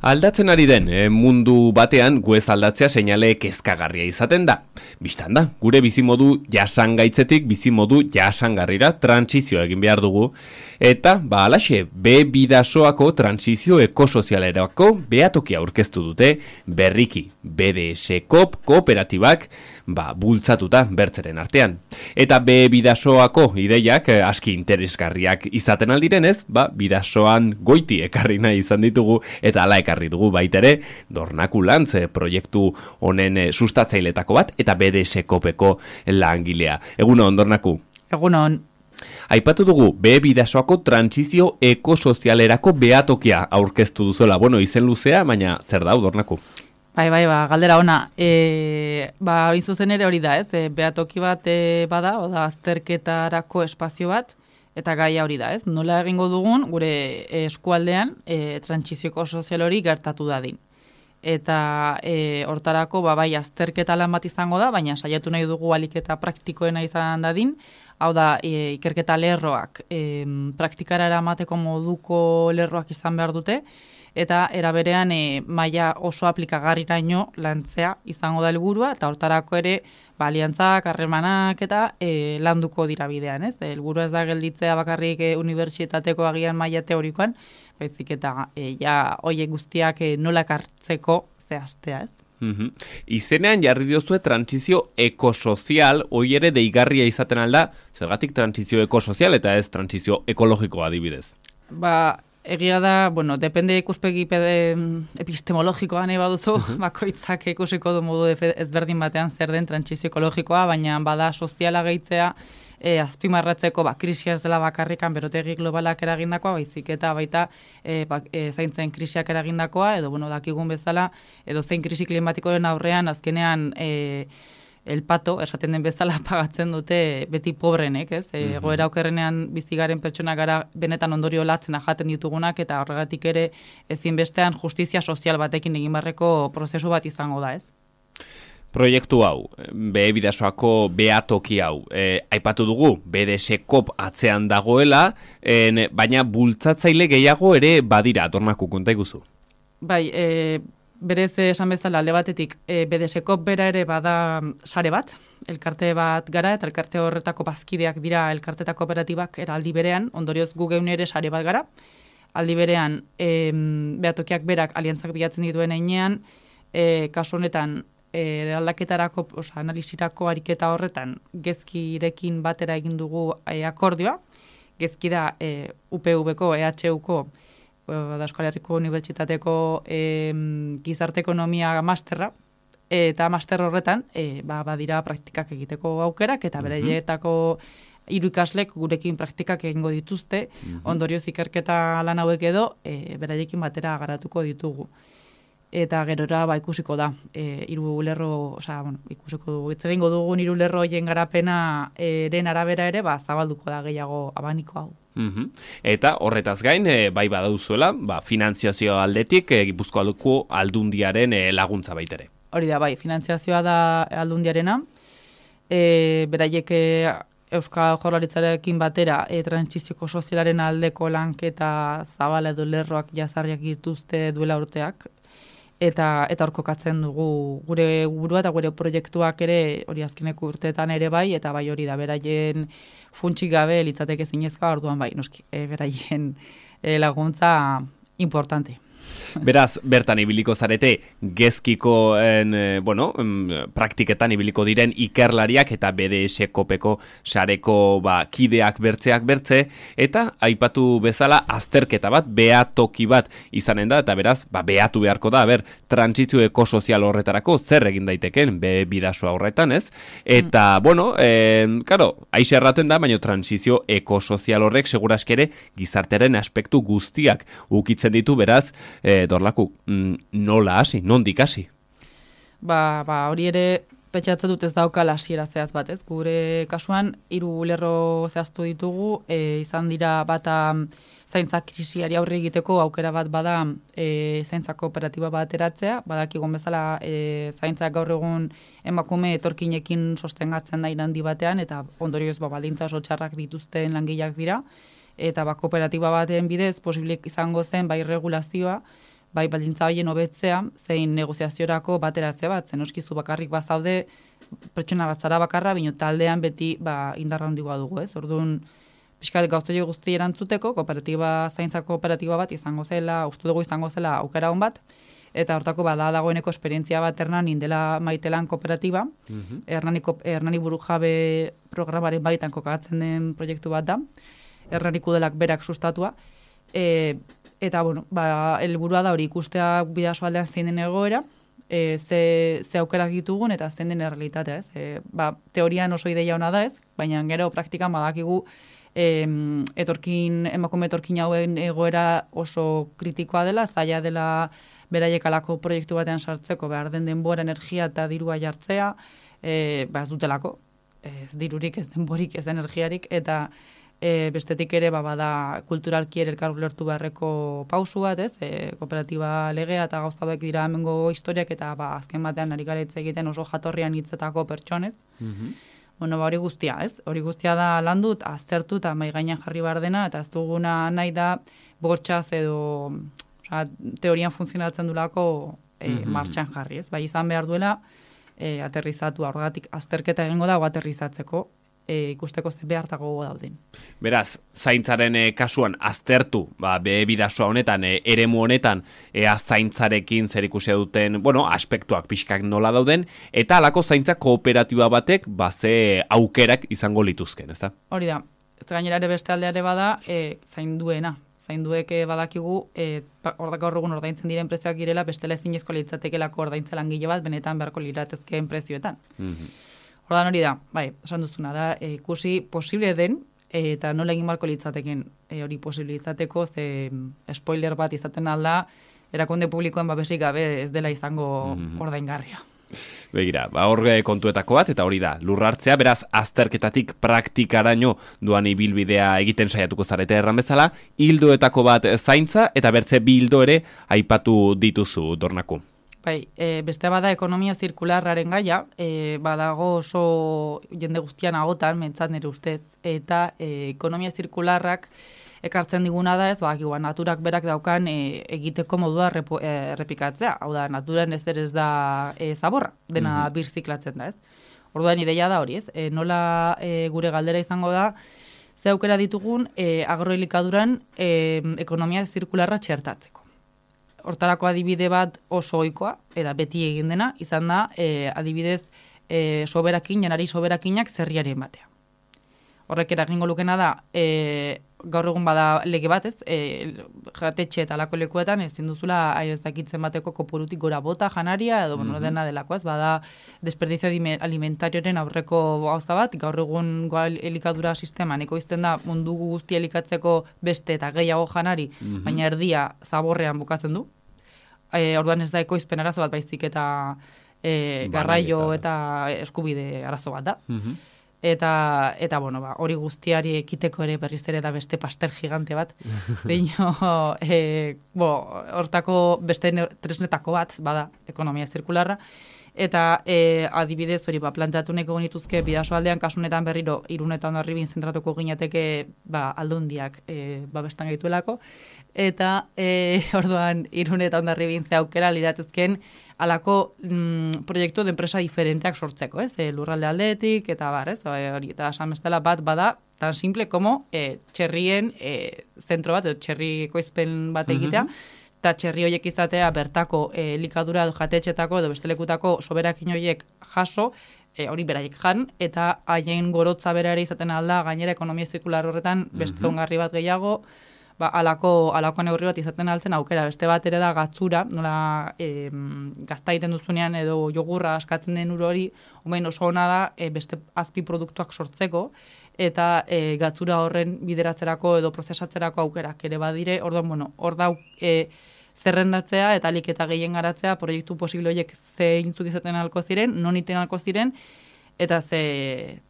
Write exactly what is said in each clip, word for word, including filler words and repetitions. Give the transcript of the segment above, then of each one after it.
Aldatzen ari den eh, mundu batean gu ez aldatzea seinale kezkagarria izaten da. Bistan da, gure bizimodu jasangaitzetik bizimodu jasangarrira trantsizio egin behar dugu. Eta, ba alaxe, be bidasoako trantsizio ekosozialerako behatokia aurkeztu dute berriki B D S Coop kooperatibak ba, bultzatuta bertzeren artean. Eta be bidasoako ideiak eh, aski interesgarriak izaten aldirenez, ba, bidasoan goiti ekarri nahi izan ditugu eta ala ekarri dugu baitere Dornaku Lantz proiektu honen eh, sustatzailetako bat eta B D S Coopeko langilea. Egunon, Dornaku. Egunon. Aipatu dugu, be bidasoako trantsizio ekosozialerako behatokia aurkeztu duzuela. Bueno, izen luzea, baina zer da, Dornaku? Bai, bai, ba, galdera ona. E, ba, zuzen ere hori da, ez? E, behatoki bat e, bada, oda azterketarako espazio bat, eta gaia hori da, ez? Nola egingo dugun, gure eskualdean, e, trantsizio ekosozial hori gertatu dadin. Eta e, hortarako, ba, bai, azterketa lan bat izango da, baina saiatu nahi dugu aliketa praktikoena izan dadin, hau da, e, ikerketa lerroak, e, praktikara eramateko moduko lerroak izan behar dute, eta eraberean e, maila oso aplikagarriraino lantzea izango da helburua, eta hortarako ere ba, aliantzak, harremanak eta e, landuko dira bidean, ez? Helburua ez da gelditzea bakarrik e, unibertsitateko agian maila teorikoan, baizik eta e, ja hoiek guztiak e, nola kartzeko zehaztea, ez? Uhum. Izenean jarri diozue trantsizio ekosozial, hoi ere deigarria izaten alda, zergatik trantsizio ekosozial eta ez trantsizio ekologikoa adibidez? Ba, egia da, bueno, depende ikuspegi pede, epistemologikoa nahi baduzu, uh-huh. bakoitzak ikusiko du modu ezberdin batean zer den trantsizio ekologikoa, baina bada soziala gehitzea, E, azpimarratzeko ba, krisia ez dela bakarrikan berotegi globalak eragindakoa, baizik eta baita e, ba, e, zaintzen krisiak eragindakoa, edo bueno, dakigun bezala, edo zein krisi klimatikoren aurrean azkenean e, el pato, esaten den bezala pagatzen dute beti pobrenek, ez? E, Mm-hmm. Goera okerrenean bizigaren pertsona gara benetan ondorio latzena jaten ditugunak, eta horregatik ere ezinbestean justizia sozial batekin egin barreko prozesu bat izango da, ez? Proiektu hau, be bidasoako behatoki hau, e, aipatu dugu, B D S Coop atzean dagoela, en, baina bultzatzaile gehiago ere badira, Dornaku, konta iguzu. Bai, e, berez esan bezala alde batetik, e, B D S Coop bera ere bada sare bat, elkarte bat gara, eta elkarte horretako bazkideak dira elkarte eta kooperatibak era aldi berean, ondorioz gu geun ere sare bat gara, aldi berean e, behatokiak berak aliantzak bilatzen dituen einean, e, kasu honetan, eraldaketarako, oza, analizirako ariketa horretan gezkirekin batera egin dugu e, akordioa. Gezki da e, U P V-ko, E H U-ko, da Euskal Herriko Unibertsitateko e, gizarte ekonomia masterra, eta master horretan e, ba, badira praktikak egiteko aukerak, eta beraietako hiru ikaslek gurekin praktikak egingo dituzte, uh-huh. ondorioz ikerketa lan hauek edo e, beraiekin batera garatuko ditugu. Eta gerora ba, ikusiko da, e, hiru lerro, osea, bueno, ikusiko dugu, ez egingo dugun hiru lerro hoien garapena eren arabera ere, ba, zabalduko da gehiago abaniko hau. Uhum. Eta horretaz gain, e, bai badauzuela, ba, finantziazio aldetik, e, Gipuzkoako Aldundiaren e, laguntza baitere. Hori da, bai, finantziazioa da Aldundiarena, e, beraiek e, Euskal Jaurlaritzarekin batera e, trantsizioko sozialaren aldeko lanketa zabala edo lerroak jazarriak dituzte duela urteak, eta eta hor kokatzen dugu gure burua eta gure proiektuak ere hori azkeneko urteetan ere bai, eta bai hori da beraien funtsik gabe litzateke zinezkoa, orduan bai, noski, e, beraien e, laguntza importante. Beraz, bertan ibiliko zarete gezkiko en, bueno, praktiketan ibiliko diren ikerlariak eta B D S Coopeko sareko ba, kideak bertzeak bertze, eta aipatu bezala azterketa bat, behatoki bat izanen da, eta beraz, ba, behatu beharko da, ber, trantsizio ekosozial horretarako zer egin daiteken, be bidasoa horretan, ez? Eta, mm. bueno, eh, karo, aixe erraten da, baina trantsizio ekosozial horrek seguraskere gizartearen aspektu guztiak ukitzen ditu, beraz, E, Dorlaku, nola hasi, nondik hasi? Ba, ba, hori ere pentsatzen dut ez daukala hasiera zehaz bat, ez? Gure kasuan hiru lerro zehaztu ditugu, e, izan dira bata zaintza krisiari aurre egiteko aukera bat bada e, zaintza kooperatiba bat eratzea, badakigun bezala e, zaintzak gaur egun emakume etorkinekin sostengatzen da irandi batean, eta ondorioz ba, baldintza oso txarrak dituzten langileak dira, eta ba, kooperatiba baten bidez posible izango zen bai regulazioa, bai baldintza horien hobetzea, zein negoziaziorako bateratzea bat, zen oskizu bakarrik bazaude, pertsona bat zara bakarra, baina taldean beti ba, indarra handigoa dugu, ez? Orduan, pixkat gauztoi guzti erantzuteko, kooperatiba, zaintza kooperatiba bat izango zela, uste dugu izango zela aukera hon bat, eta hortako bada dagoeneko esperientzia bat Hernanin dela Maitelan kooperatiba, mm-hmm. Hernani, Hernani Burujabe programaren baitan kokatzen den proiektu bat da, Hernani Kudelak berak sustatua, e, eta, bueno, ba, helburua da hori ikustea bidasoaldean zein den egoera, e, ze, ze aukerak ditugun eta zein den errealitatea, ez? E, ba, teorian oso ideia ona da, ez? Baina gero praktikan badakigu e, etorkin, emakume etorkin hauen egoera oso kritikoa dela, zaila dela beraiek alako proiektu batean sartzeko, behar den denbora, energia eta dirua jartzea, e, ba ez dutelako, ez dirurik, ez denborik, ez energiarik, eta e, bestetik ere ba, bada kulturalki ere elkar ulertu beharreko pausu bat, ez? E, kooperatiba legea eta gauzabek dira hemengo historiak, eta ba, azken batean ari gara hitz egiten oso jatorrian hitzetako pertsonez. Mm-hmm. Bueno, ba, hori guztia, ez? Hori guztia da landut, aztertu eta mai gainean jarri behar dena, eta ez duguna nahi da bortxaz edo osea, teorian funtzionatzen dulako e, mm-hmm. martxan jarri, ez? Bai izan behar duela e, aterrizatu, horregatik azterketa egingo dago aterrizatzeko, e, ikusteko ze behartago dauden. Beraz, zaintzaren e, kasuan aztertu, ba, be bidasoa honetan, e, eremu honetan, ea zaintzarekin zer ikusia duten, bueno, aspektuak pixkak nola dauden, eta halako zaintza kooperatiba batek, ba, ze aukerak izango lituzken, ezta? Hori da, ez gainera ere beste aldeare bada, e, zainduena. Zainduek badakigu, e, ordako horregun ordaintzen diren prezioak girela, bestela ezinezko litzatekelako ordaintza langile bat, benetan beharko liratezkeen prezioetan. Mm-hmm. Ordan hori da, bai, esan duzuna da, e, ikusi posible den, e, eta nola egin barko litzateken e, hori posible izateko, ze spoiler bat izaten alda, erakunde publikoen babesik gabe ez dela izango mm-hmm. ordaingarria. Begira, ba, horre kontuetako bat, eta hori da, lurrartzea, beraz, azterketatik praktikaraino duan ibilbidea egiten saiatuko zarete erran bezala, hildoetako bat zaintza, eta bertze bi hildo ere aipatu dituzu, Dornaku. Bai, e, beste bada ekonomia zirkularraren gaia, e, badago oso jende guztian agotan, mentzat nire ustez, eta e, ekonomia zirkularrak ekartzen diguna da ez, ba, naturak berak daukan e, egiteko modua repo, e, errepikatzea. Hau da, naturan ez ez da e, zaborra, dena mm-hmm. birziklatzen da ez. Orduan ideia da hori ez, e, nola e, gure galdera izango da, ze aukera ditugun e, agroelikaduran e, ekonomia zirkularra txertatzeko. Hortarako adibide bat oso ohikoa, eta beti egin dena, izan da e, adibidez e, soberakin, janari soberakinak zerriaren batea. Horrek eragingo lukena da, e, gaur egun bada lege bat, ez? E, jatetxe eta alako lekuetan ezin duzula aidezakitzen bateko kopurutik gora bota janaria edo bueno, mm-hmm. dena delako, ez? Bada desperdizio alimentarioren aurreko gauza bat, gaur egun elikadura sisteman ekoizten da mundu guzti elikatzeko beste eta gehiago janari, mm-hmm. baina erdia zaborrean bukatzen du. E, orduan ez da ekoizpen arazo bat baizik eta e, garraio eta eskubide arazo bat da. Mm-hmm. Eta, eta bueno, ba, hori guztiari ekiteko ere berriz ere da beste pastel gigante bat. Baina, e, bo, hortako beste tresnetako bat, bada, ekonomia zirkularra. Eta e, adibidez hori, ba, planteatu neko genituzke bidasoaldean kasunetan berriro irunetan darribin zentratuko ginateke ba, aldundiak e, babestan gaituelako. Eta e, orduan irunetan darribin ze aukera liratezken alako mm, proiektu de enpresa diferenteak sortzeko, ez? E, lurralde aldeetik, eta bar, ez? Hori, eta esan bestela bat bada, tan simple como e, txerrien e, zentro bat, txerri ekoizpen bat egitea, eta txerri horiek izatea bertako e, elikadura edo jatetxetako edo bestelekutako soberakin horiek jaso, e, hori beraiek jan, eta haien gorotza bera ere izaten alda, gainera ekonomia zirkular horretan beste ongarri bat gehiago, ba, alako, alako neurri bat izaten altzen aukera. Beste bat ere da gatzura, nola e, gazta egiten duzunean edo jogurra askatzen den ur hori, omen oso ona da e, beste azpi produktuak sortzeko, eta e, gatzura horren bideratzerako edo prozesatzerako aukerak ere badire, orduan, bueno, hor da e, zerrendatzea eta alik eta gehien garatzea proiektu posible horiek ze intzuk izaten alko ziren, non iten alko ziren, eta ze,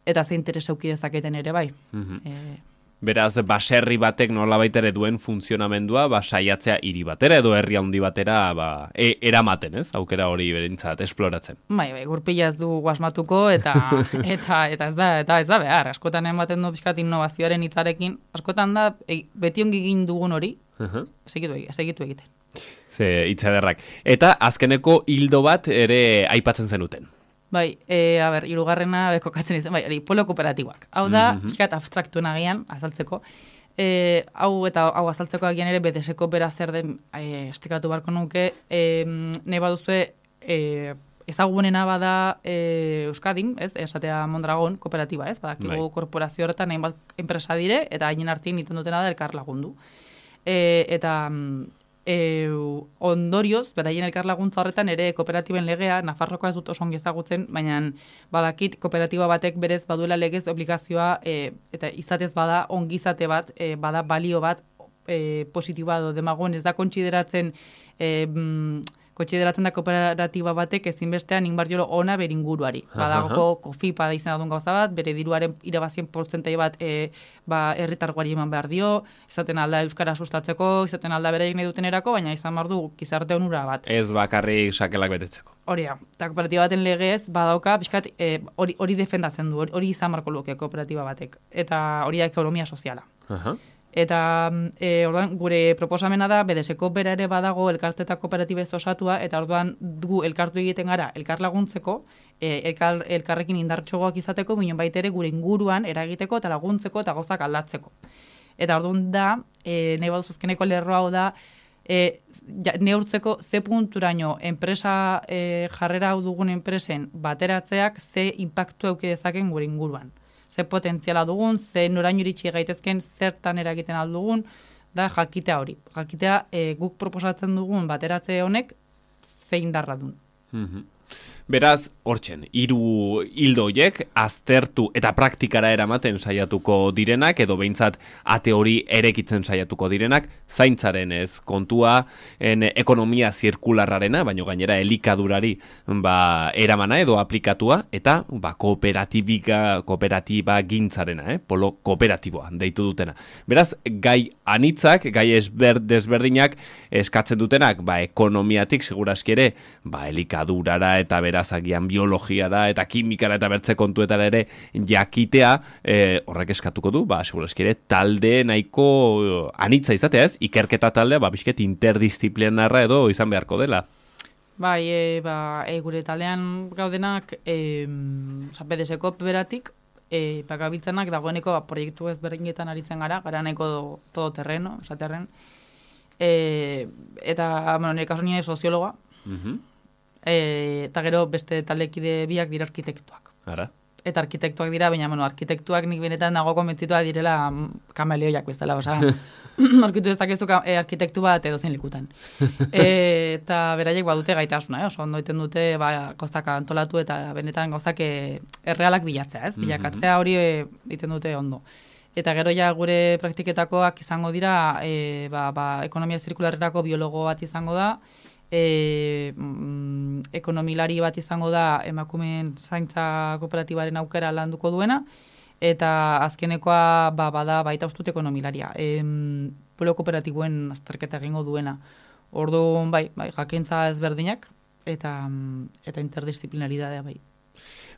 eta ze interes auki dezaketen ere bai. Mm-hmm. e, Beraz, baserri batek nolabait ere duen funtzionamendua, ba, saiatzea hiri batera edo herri handi batera ba, e, eramaten, ez? Aukera hori berentzat esploratzen. Bai, bai, gurpila ez du guasmatuko eta eta eta ez da eta ez da behar. Askotan ematen du pixkat innovazioaren hitzarekin, askotan da e, beti ongi egin dugun hori, uh-huh. segitu, segitu egiten. Ze itzederrak. Eta azkeneko hildo bat ere aipatzen zenuten. Bai, e, a ber, hirugarrena kokatzen izan, bai, hori, polo kooperatiboak. Hau da, mm -hmm. abstraktuen agian, azaltzeko. E, hau eta hau azaltzeko agian ere, B D S-ko bera zer den e, esplikatu barko nuke, e, nahi baduzue, e, ezagunena bada e, Euskadin, ez, esatea Mondragon kooperatiba, ez, badakigu bai. Korporazio horretan hainbat enpresa dire, eta hainen artin iten dutena da elkar lagundu. E, eta e, ondorioz, beraien elkar laguntza horretan ere kooperatiben legea, Nafarrokoa ez dut oso ongi ezagutzen, baina badakit kooperatiba batek berez baduela legez obligazioa, e, eta izatez bada ongizate bat, e, bada balio bat e, positiboa do demagoen, ez da kontsideratzen e, mm, Kotxideratzen da kooperatiba batek ezinbestean inbardiolo ona beringuruari. Badagoko kofipa da izan adun gauza bat, bere diruaren irabazien portzentai bat e, ba, herritargoari eman behar dio, izaten alda euskara sustatzeko, izaten alda bere nahi duten erako, baina izan behar du gizarte onura bat. Ez bakarrik sakelak betetzeko. Hori da, eta kooperatiba baten legez badauka, pixkat, hori e, defendatzen du, hori izan marko luke kooperatiba batek. Eta hori da ekonomia soziala. Aha. Eta e, orduan, gure proposamena da, B D S-ko bera ere badago elkarte eta kooperatibez osatua, eta orduan gu elkartu egiten gara, elkar laguntzeko, e, elkar, elkarrekin indartxogoak izateko, binen baita ere gure inguruan eragiteko eta laguntzeko eta gauzak aldatzeko. Eta orduan da, e, nahi baduz azkeneko lerro hau da, e, ja, neurtzeko ze punturaino enpresa e, jarrera hau dugun enpresen bateratzeak ze impactu euki dezaken gure inguruan. Ze potentziala dugun, ze noraino iritsi gaitezken, zertan eragiten aldugun, da jakitea hori. Jakitea e, guk proposatzen dugun bateratze honek zein darra duen. Mm-hmm. Beraz, hortzen, hiru hildo horiek aztertu eta praktikara eramaten saiatuko direnak, edo behintzat ate hori erekitzen saiatuko direnak, zaintzaren ez kontua, en, ekonomia zirkularrarena, baino gainera elikadurari ba, eramana edo aplikatua, eta ba, kooperatibika, kooperatiba gintzarena, eh? Polo kooperatiboa deitu dutena. Beraz, gai anitzak, gai esber, desberdinak eskatzen dutenak, ba, ekonomiatik seguraski ere, ba, elikadurara eta beraz agian biologiara eta kimikara eta bertze kontuetara ere jakitea, e, horrek eskatuko du, ba, seguraski ere, talde nahiko anitza izatea ez, ikerketa taldea, ba, bizket interdisciplinarra edo izan beharko dela. Bai, e, ba, e, gure taldean gaudenak, e, B D S-ko beratik, e, bakabiltzanak dagoeneko ba, proiektu ezberdinetan aritzen gara, gara nahiko todo terreno, esaterren, e, eta, bueno, nire kasu nire soziologa, uh-huh. E, eta gero beste taldekide biak dira arkitektuak. Ara. Eta arkitektuak dira, baina bueno, arkitektuak nik benetan nago konbentzitua direla kameleoiak bezala, osea, arkitu ez dakizu e, arkitektu bat edo zein likutan. E, eta beraiek badute gaitasuna, eh? Oso ondo iten dute ba, gauzak antolatu eta benetan gauzak errealak bilatzea, ez? Bilakatzea hori egiten dute ondo. Eta gero ja gure praktiketakoak izango dira, e, ba, ba, ekonomia zirkularrerako biologo bat izango da, E, mm, ekonomilari bat izango da emakumeen zaintza kooperatibaren aukera landuko duena, eta azkenekoa ba, bada baita ustut ekonomilaria. E, polo kooperatiboen azterketa egingo duena. Orduan bai, bai, jakintza ezberdinak eta, eta interdisciplinaridadea bai.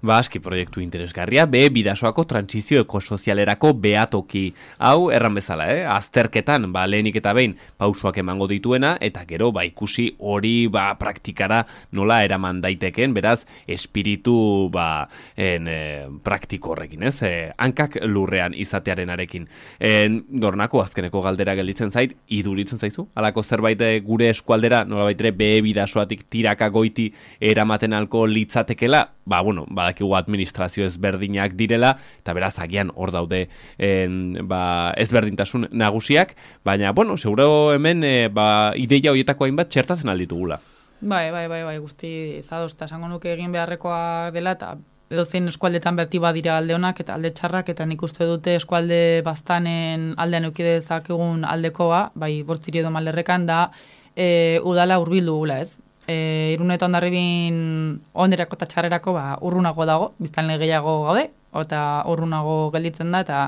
Ba, aski proiektu interesgarria, be, bidasoako trantsizio ekosozialerako behatoki. Hau, erran bezala, eh? Azterketan, ba, lehenik eta behin, pausoak emango dituena, eta gero, ba, ikusi hori, ba, praktikara nola eraman daiteken, beraz, espiritu, ba, en, e, praktiko horrekin, ez? E, hankak lurrean izatearen arekin. En, dornako, azkeneko galdera gelditzen zait, iduritzen zaizu? Halako zerbait gure eskualdera, nola baitere, be, bidasoatik tiraka goiti eramaten alko litzatekela, ba, bueno, badakigu administrazio ezberdinak direla, eta beraz agian hor daude en, ba, ezberdintasun nagusiak, baina, bueno, seguro hemen e, ba, ideia horietako hainbat txertatzen alditugula. Bai, bai, bai, bai, guzti zadoz, eta esango nuke egin beharrekoa dela, eta edo zein eskualdetan berti badira alde honak eta alde txarrak, eta nik uste dute eskualde bastanen aldean eukidezak egun aldekoa, bai, bortziri edo malerrekan da, e, udala hurbildu gula ez. E, Irun eta Hondarribin onerako eta txarrerako ba, urrunago dago, biztanle gehiago gaude, eta urrunago gelditzen da, eta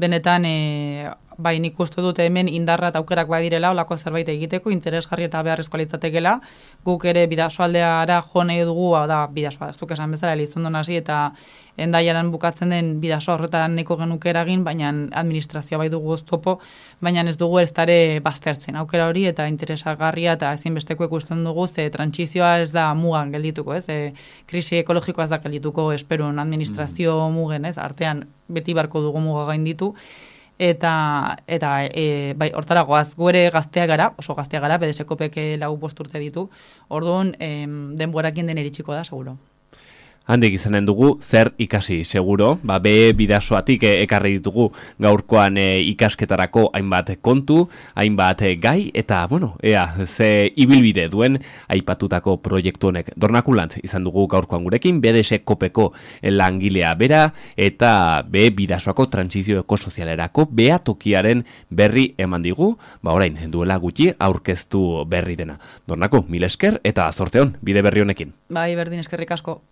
benetan e, bai nik uste dute hemen indarra eta aukerak badirela olako zerbait egiteko, interesgarri eta beharrezkoa litzatekeela, guk ere bidasoaldeara jo nahi dugu, hau da, bidasoa, ez duk esan bezala, Elizondon hasi eta Endaiaran bukatzen den bidasoa horretan neko genuke eragin, baina administrazioa bai dugu oztopo, baina ez dugu ez dare baztertzen aukera hori eta interesagarria eta ezinbesteko ikusten dugu, ze trantsizioa ez da mugan geldituko, ez, e, krisi ekologikoa ez da geldituko esperun administrazio mm. mugen, ez, artean beti barko dugu muga gainditu, eta eta e, bai hortara goaz, gu ere gazteak gara, oso gazteak gara, B D S-kopek lau bost urte ditu, orduan em, denborakin den iritsiko da, seguro. Handik izanen dugu, zer ikasi seguro, ba, be bidasoatik e, ekarri ditugu gaurkoan e, ikasketarako hainbat kontu, hainbat e, gai, eta, bueno, ea, ze ibilbide duen aipatutako proiektu honek. Dornakulant izan dugu gaurkoan gurekin, B D S-kopeko langilea bera, eta be bidasoako trantsizio ekosozialerako behatokiaren berri eman digu, ba orain, duela gutxi aurkeztu berri dena. Dornako, mil esker, eta zorteon, bide berri honekin. Bai, berdin eskerrik asko.